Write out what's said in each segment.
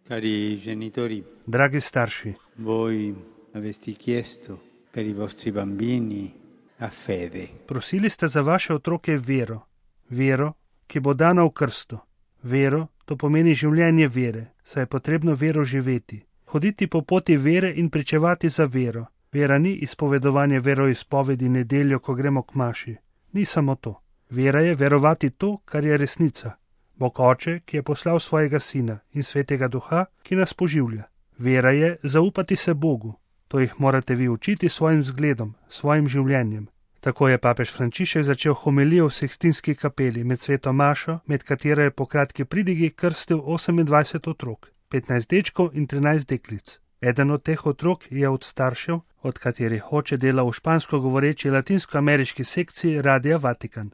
Cari genitori, Dragi starši, voi avete chiesto per i vostri bambini la fede. prosili ste za vaše otroke vero. Vero, ki bo dana v krstu. Vero, to pomeni življenje vere, saj je potrebno vero živeti. Hoditi po poti vere in pričevati za vero. Vera ni izpovedovanje veroizpovedi nedeljo, ko gremo k maši. Ni samo to. Vera je verovati to, kar je resnica. Bog Oče, ki je poslal svojega Sina, in Svetega Duha, ki nas poživlja. Vera je zaupati se Bogu. To jih morate vi učiti svojim zgledom, svojim življenjem. Tako je papež Frančišek začel homilijo v Sikstinski kapeli med sveto mašo, med katero je po kratki pridigi krstil 28 otrok, 15 dečkov in 13 deklic. Eden od teh otrok je od staršev, od katerih oče dela v špansko govoreči latinskoameriški sekciji Radia Vatikan.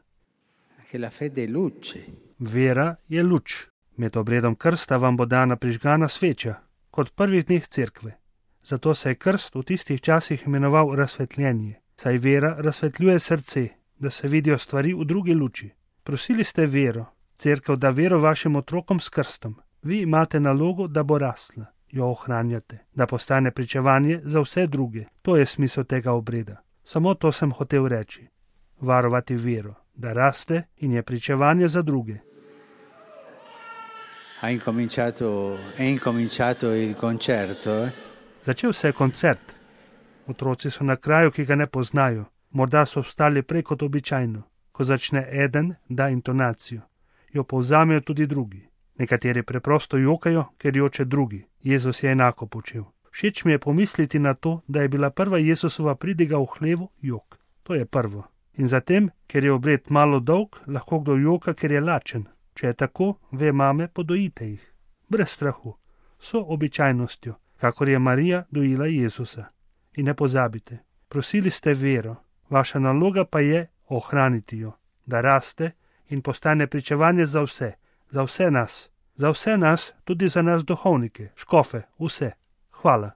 Che la fede è luce. Vera je luč. Med obredom krsta vam bo dana prižgana sveča, kot prvih dneh cerkve. Zato se je krst v tistih časih imenoval razsvetljenje, saj vera razsvetljuje srce, da se vidijo stvari v drugi luči. Prosili ste vero, cerkev da vero vašim otrokom s krstom. Vi imate nalogo, da bo rasla, jo ohranjate, da postane pričevanje za vse druge. To je smisel tega obreda. Samo to sem hotel reči. Varovati vero, da raste in je pričevanje za druge. È incominciato il concerto, Začel se je koncert. Otroci so na kraju, ki ga ne poznajo. Morda so vstali prej kot običajno. Ko začne eden, da intonacijo. Jo povzamejo tudi drugi. Nekateri preprosto jokajo, ker joče drugi. Jezus je enako počel. Všeč mi je pomisliti na to, da je bila prva Jezusova pridiga v hlevu jok. To je prvo. In zatem, ker je obred malo dolg, lahko kdo joka, ker je lačen. Če je tako, ve mame, podojite jih. Brez strahu. So običajnostjo, kakor je Marija dojila Jezusa. In ne pozabite, prosili ste vero, vaša naloga pa je ohraniti jo, da raste in postane pričevanje za vse nas, tudi za nas duhovnike, škofe, vse. Hvala.